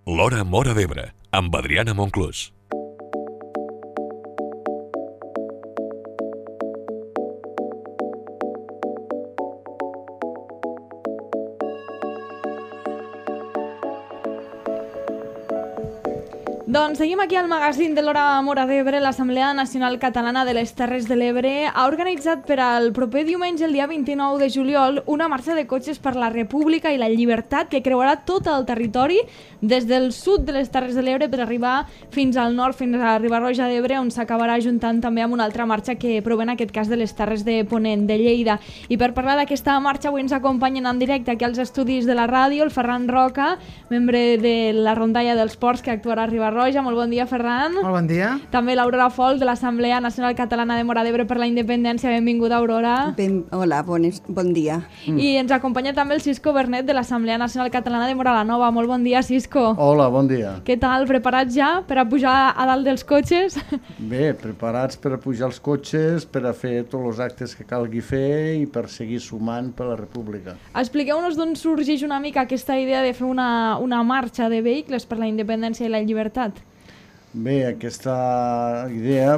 L'Hora Móra d'Ebre, amb Adriana Monclús. Doncs seguim aquí al magazín de l'Hora Móra d'Ebre. L'Assemblea Nacional Catalana de les Terres de l'Ebre ha organitzat per al proper diumenge, el dia 29 de juliol, una marxa de cotxes per la República i la Llibertat que creuarà tot el territori des del sud de les Terres de l'Ebre per arribar fins al nord, fins a Riba-roja d'Ebre, on s'acabarà juntant també amb una altra marxa que prové en aquest cas de les Terres de Ponent, de Lleida. I per parlar d'aquesta marxa avui ens acompanyen en directe aquí als estudis de la ràdio el Ferran Roca, membre de la rondalla dels ports que actuarà a Riba-roja. Molt bon dia, Ferran. Molt bon dia. També l'Aurora Folk, de l'Assemblea Nacional Catalana de Móra d'Ebre per la Independència. Benvinguda, Aurora. Hola, bon dia. I ens acompanya també el Cisco Bernet, de l'Assemblea Nacional Catalana de Móra la Nova. Molt bon dia, Cisco. Hola, bon dia. Què tal? Preparats ja per a pujar a dalt dels cotxes? Bé, preparats per a pujar els cotxes, per a fer tots els actes que calgui fer i per seguir sumant per la República. Expliqueu-nos d'on sorgeix una mica aquesta idea de fer una marxa de vehicles per la independència i la llibertat. Bé, aquesta idea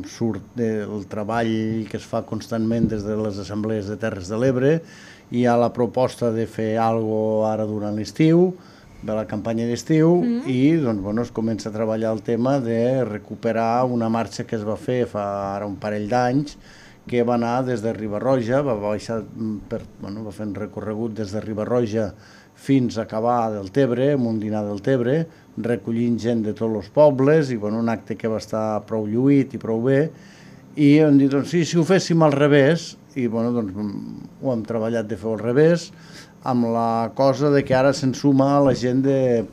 surt del treball que es fa constantment des de les assemblees de Terres de l'Ebre. Hi ha la proposta de fer alguna cosa ara durant l'estiu, de la campanya d'estiu, i es comença a treballar el tema de recuperar una marxa que es va fer fa ara un parell d'anys, que va anar des de Riba-roja, va fer un recorregut des de Riba-roja fins a acabar del Tebre, amb un dinar del Tebre, recollint gent de tots els pobles, i un acte que va estar prou lluït i prou bé, i hem dit, si ho féssim al revés, i ho hem treballat de fer al revés, amb la cosa de que ara se'n suma la gent de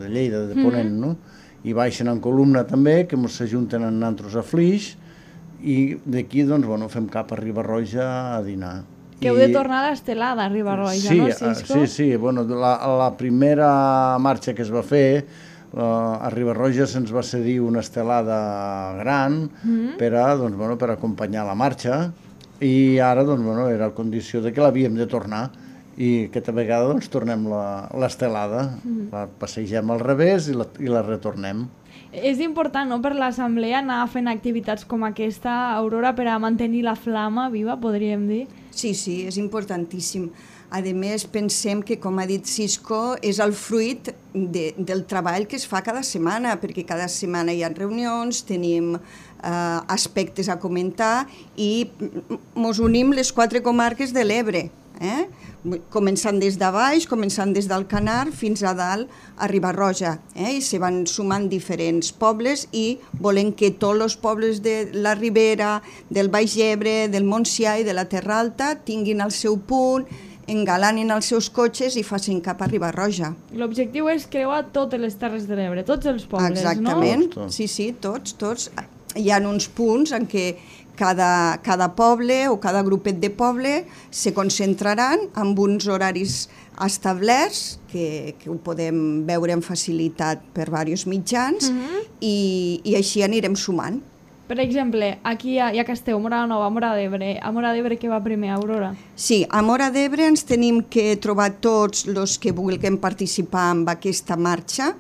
Lleida, de Ponent, no? I baixen en columna també, que s'ajunten en nantros a Flix, i d'aquí fem cap a Riba-roja a dinar. Que heu de tornar a l'estelada a Riba-roja, no, Cisco? Sí. La primera marxa que es va fer, a Riba-roja se'ns va cedir una estelada gran per acompanyar la marxa, i ara era la condició de que l'havíem de tornar, i aquesta vegada tornem l'estelada, la passegem al revés i la retornem. És important, no?, per l'Assemblea anar fent activitats com aquesta, Aurora, per a mantenir la flama viva, podríem dir? Sí, és importantíssim. A més, pensem que, com ha dit Cisco, és el fruit del treball que es fa cada setmana, perquè cada setmana hi ha reunions, tenim aspectes a comentar i ens unim les 4 comarques de l'Ebre, començant des de baix, començant des d'Alcanar fins a dalt a Riba-roja, i se van sumant diferents pobles i volem que tots els pobles de la Ribera, del Baix Ebre, del Montsià i de la Terra Alta tinguin el seu punt, engalanin els seus cotxes i facin cap a Riba-roja. L'objectiu és creuar totes les Terres de l'Ebre, tots els pobles, exactament, no? Sí, tots. Hi ha uns punts en què cada poble o cada grupet de poble se concentraran amb uns horaris establerts que ho podem veure amb facilitat per diversos mitjans i així anirem sumant. Per exemple, aquí ja que esteu, Móra la Nova, Móra d'Ebre. A Móra d'Ebre què va primer, Aurora? Sí, a Móra d'Ebre ens tenim que trobar tots els que vulguem participar en aquesta marxa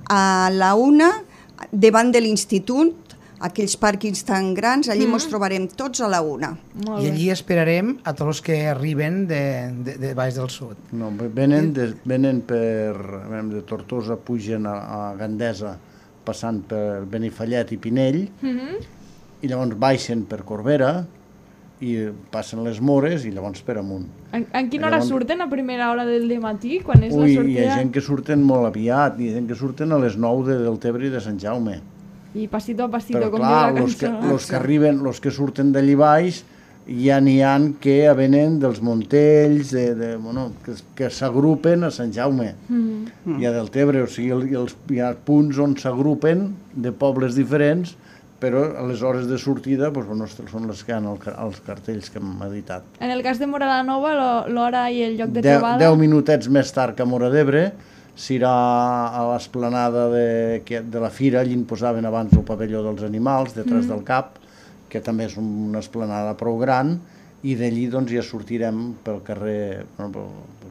a la una, davant de l'Institut, aquells pàrquings tan grans, allí ens trobarem tots a la una. I allí esperarem a tots els que arriben de baix del sud. No, venen de Tortosa, pugen a Gandesa, passant per Benifallet i Pinell, i llavors baixen per Corbera i passen les Mores i llavors per amunt. En quina hora surten? A primera hora del dematí? Quan és la sortida? Hi ha gent que surten molt aviat, hi ha gent que surten a les 9 del Tebre i de Sant Jaume. I passito a passito, però, com diu la cançó. Els que surten d'allí baix, ja n'hi ha que venen dels Montells, que s'agrupen a Sant Jaume. Hi ha del Tebre, o sigui, hi ha punts on s'agrupen de pobles diferents, però a les hores de sortida són les que hi ha els cartells que hem editat. En el cas de Móra la Nova, l'hora i el lloc de trobada... 10 minutets més tard que a Móra d'Ebre, s'irà a l'esplanada de la Fira, allí en posaven abans el pavelló dels animals, detrás del CAP, que també és una esplanada prou gran, i d'allí ja sortirem pel carrer, pel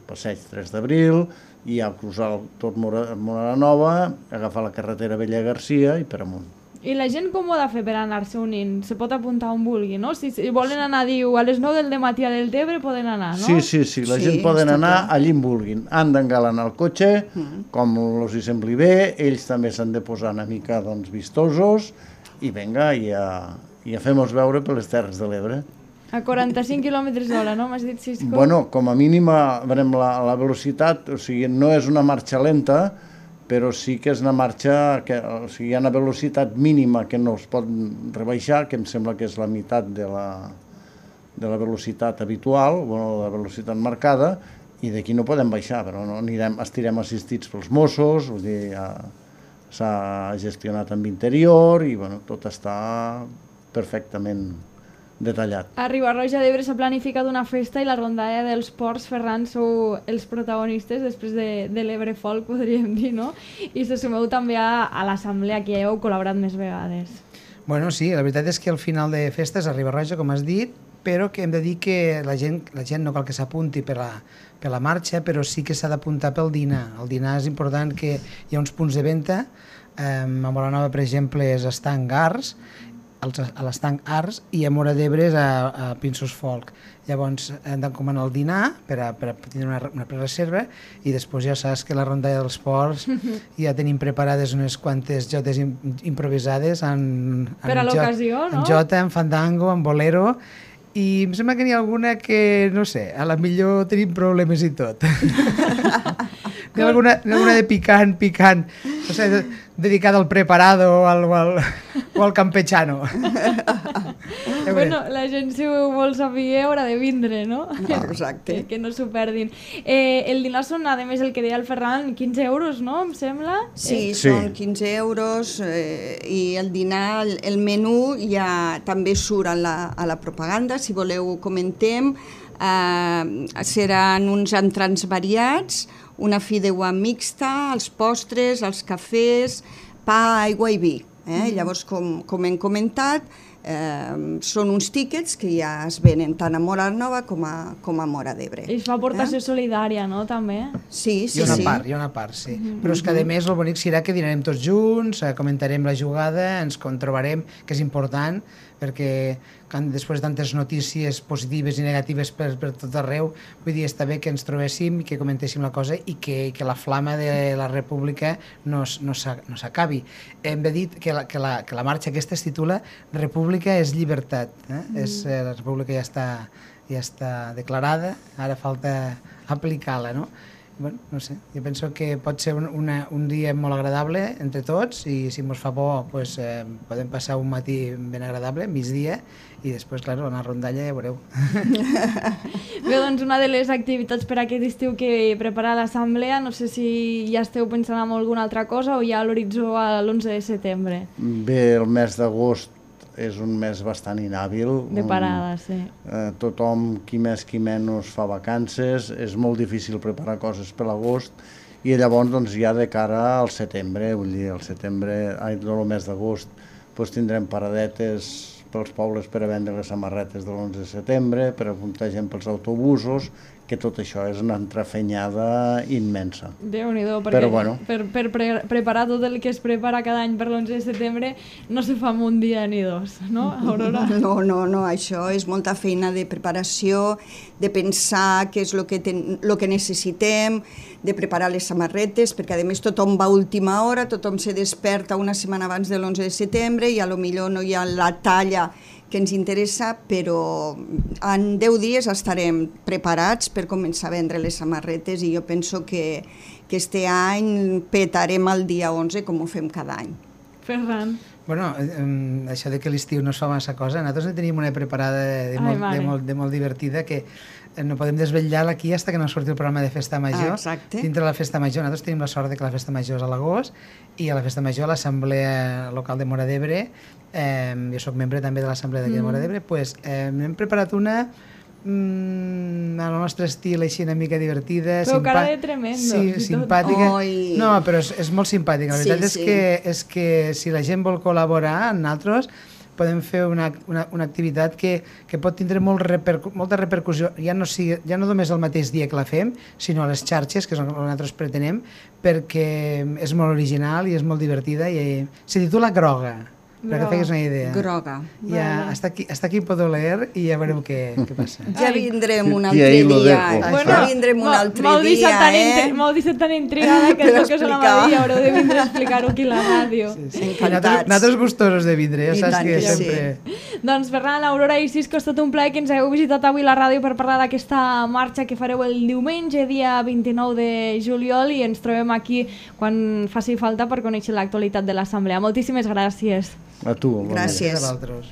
passeig 3 d'Abril, i ja cruzar tot Móra Nova, agafar la carretera Vella Garcia i per amunt. I la gent com ho ha de fer per anar-se unint? Se pot apuntar on vulgui, no? Si volen anar, diu, a les 9 del matí a Deltebre poden anar, no? Sí, la gent poden anar allí on vulguin. Han d'engalanar el cotxe, com els hi sembli bé, ells també s'han de posar una mica vistosos i vinga, i a fem-nos veure per les Terres de l'Ebre. A 45 km/h, no? M'has dit, Cisco? Bueno, com a mínim veurem la velocitat, o sigui, no és una marxa lenta, però sí que és una marxa, o sigui, hi ha una velocitat mínima que no es pot rebaixar, que em sembla que és la meitat de la velocitat habitual, bueno, la velocitat marcada, i d'aquí no podem baixar, però no estirem assistits pels Mossos, vull dir, s'ha gestionat amb interior i bueno, tot està perfectament detallat. A Riba-roja d'Ebre s'ha planificat una festa i la rondalla dels ports, Ferran, sou els protagonistes després de l'Ebre Folk, podríem dir, no? I se sumeu també a l'assemblea, que ja heu col·laborat més vegades. Bueno, sí, la veritat és que al final de festes a Riba-roja, com has dit, però que hem de dir que la gent no cal que s'apunti per la marxa, però sí que s'ha d'apuntar pel dinar. El dinar és important, que hi ha uns punts de venda, a Móra Nova, per exemple, és Estanc Arts, a l'Estanc Arts, i a Móra d'Ebre és a Pinsos Folk. Llavors hem d'encomanar el dinar per a tenir una prereserva, i després ja saps que la rondalla dels ports ja tenim preparades unes quantes jotes improvisades per a l'ocasió, no? En jota, en fandango, en bolero, i em sembla que n'hi ha alguna que, no sé, a la millor tenim problemes i tot. N'hi ha alguna de picant, no sé, dedicada al preparado o al campechano. Bueno, la gent, si ho vol saber, haurà de vindre, no? Exacte. Que no s'ho perdin. El dinar són, a més, el que deia el Ferran, 15 euros, no? Em sembla? Sí, són 15 euros i el dinar, el menú ja també surt a la propaganda, si voleu comentem. Seran uns entrants variats, una fideuà mixta, els postres, els cafès, pa, aigua i vi. Llavors, com hem comentat, són uns tíquets que ja es venen tant a Móra Nova com a Móra d'Ebre. I es fa aportació solidària, no?, també? Sí. Hi ha una part, sí. Però és que, a més, el bonic serà que dinarem tots junts, comentarem la jugada, ens trobarem, que és important, perquè després de tantes notícies positives i negatives per tot arreu, vull dir, està bé que ens trobéssim i que comentéssim la cosa i que la flama de la República no s'acabi. Hem de dir que la marxa aquesta es titula República és llibertat. La República ja està declarada, ara falta aplicar-la, no? Bueno, no sé, jo penso que pot ser un dia molt agradable entre tots, i si ens fa por podem passar un matí ben agradable, migdia, i després, clar, una rondalla ja veureu. Bé, doncs una de les activitats per aquest estiu que prepara l'Assemblea, no sé si ja esteu pensant en alguna altra cosa o ja a l'horitzó a l'11 de setembre. Bé, el mes d'agost és un mes bastant inhàbil. De parada, sí. Tothom, qui més qui menys, fa vacances, és molt difícil preparar coses per l'agost, i llavors doncs, ja de cara al setembre, vull dir, el mes d'agost, tindrem paradetes pels pobles per a vendre les samarretes de l'11 de setembre, per apuntar gent pels autobusos, que tot això és una entrefenyada immensa. Déu-n'hi-do, perquè però, bueno, per preparar tot el que es prepara cada any per l'11 de setembre no se fa en un dia ni dos, no, Aurora? No, això és molta feina de preparació, de pensar què és el que necessitem, de preparar les samarretes, perquè a més tothom va a última hora, tothom se desperta una setmana abans de l'11 de setembre i potser no hi ha la talla que ens interessa, però en 10 dies estarem preparats per començar a vendre les samarretes, i jo penso que este any petarem el dia 11 com ho fem cada any. Ferran. Bueno, això de que l'estiu no es fa massa cosa, nosaltres en tenim una preparada de molt divertida, que no podem desvetllar aquí fins que no surti el programa de Festa Major. Exacte. Dintre de la Festa Major, nosaltres tenim la sort de que la Festa Major és a l'agost, i a la Festa Major, a l'Assemblea Local de Móra d'Ebre, jo soc membre també de l'Assemblea d'aquí de Móra d'Ebre, hem preparat una al nostre estil, així una mica divertida. Però cara de tremendo. Sí, simpàtica. No, però és molt simpàtica. La veritat és que si la gent vol col·laborar amb nosaltres, podem fer una activitat que pot tindre molta repercussió, ja no només el mateix dia que la fem, sinó a les xarxes, que és el que nosaltres pretenem, perquè és molt original i és molt divertida i se titula Groga. Perquè fegues una idea. Groga. Ja, hasta aquí podeu leer i ja veureu què passa. Ja vindrem un altre dia. Ja vindrem un altre dia, M'heu deixat tan intrigada que és el que us anava a dir i haureu de vindre a explicar-ho aquí a la ràdio. Nosaltres gustosos de vindre, ja saps que sempre... Doncs Ferran, Aurora i Cisco, ha estat un plaer que ens hagueu visitat avui a la ràdio per parlar d'aquesta marxa que fareu el diumenge, dia 29 de juliol, i ens trobem aquí quan faci falta per conèixer l'actualitat de l'Assemblea. Moltíssimes gràcies. A tu. Gràcies. A vosaltres.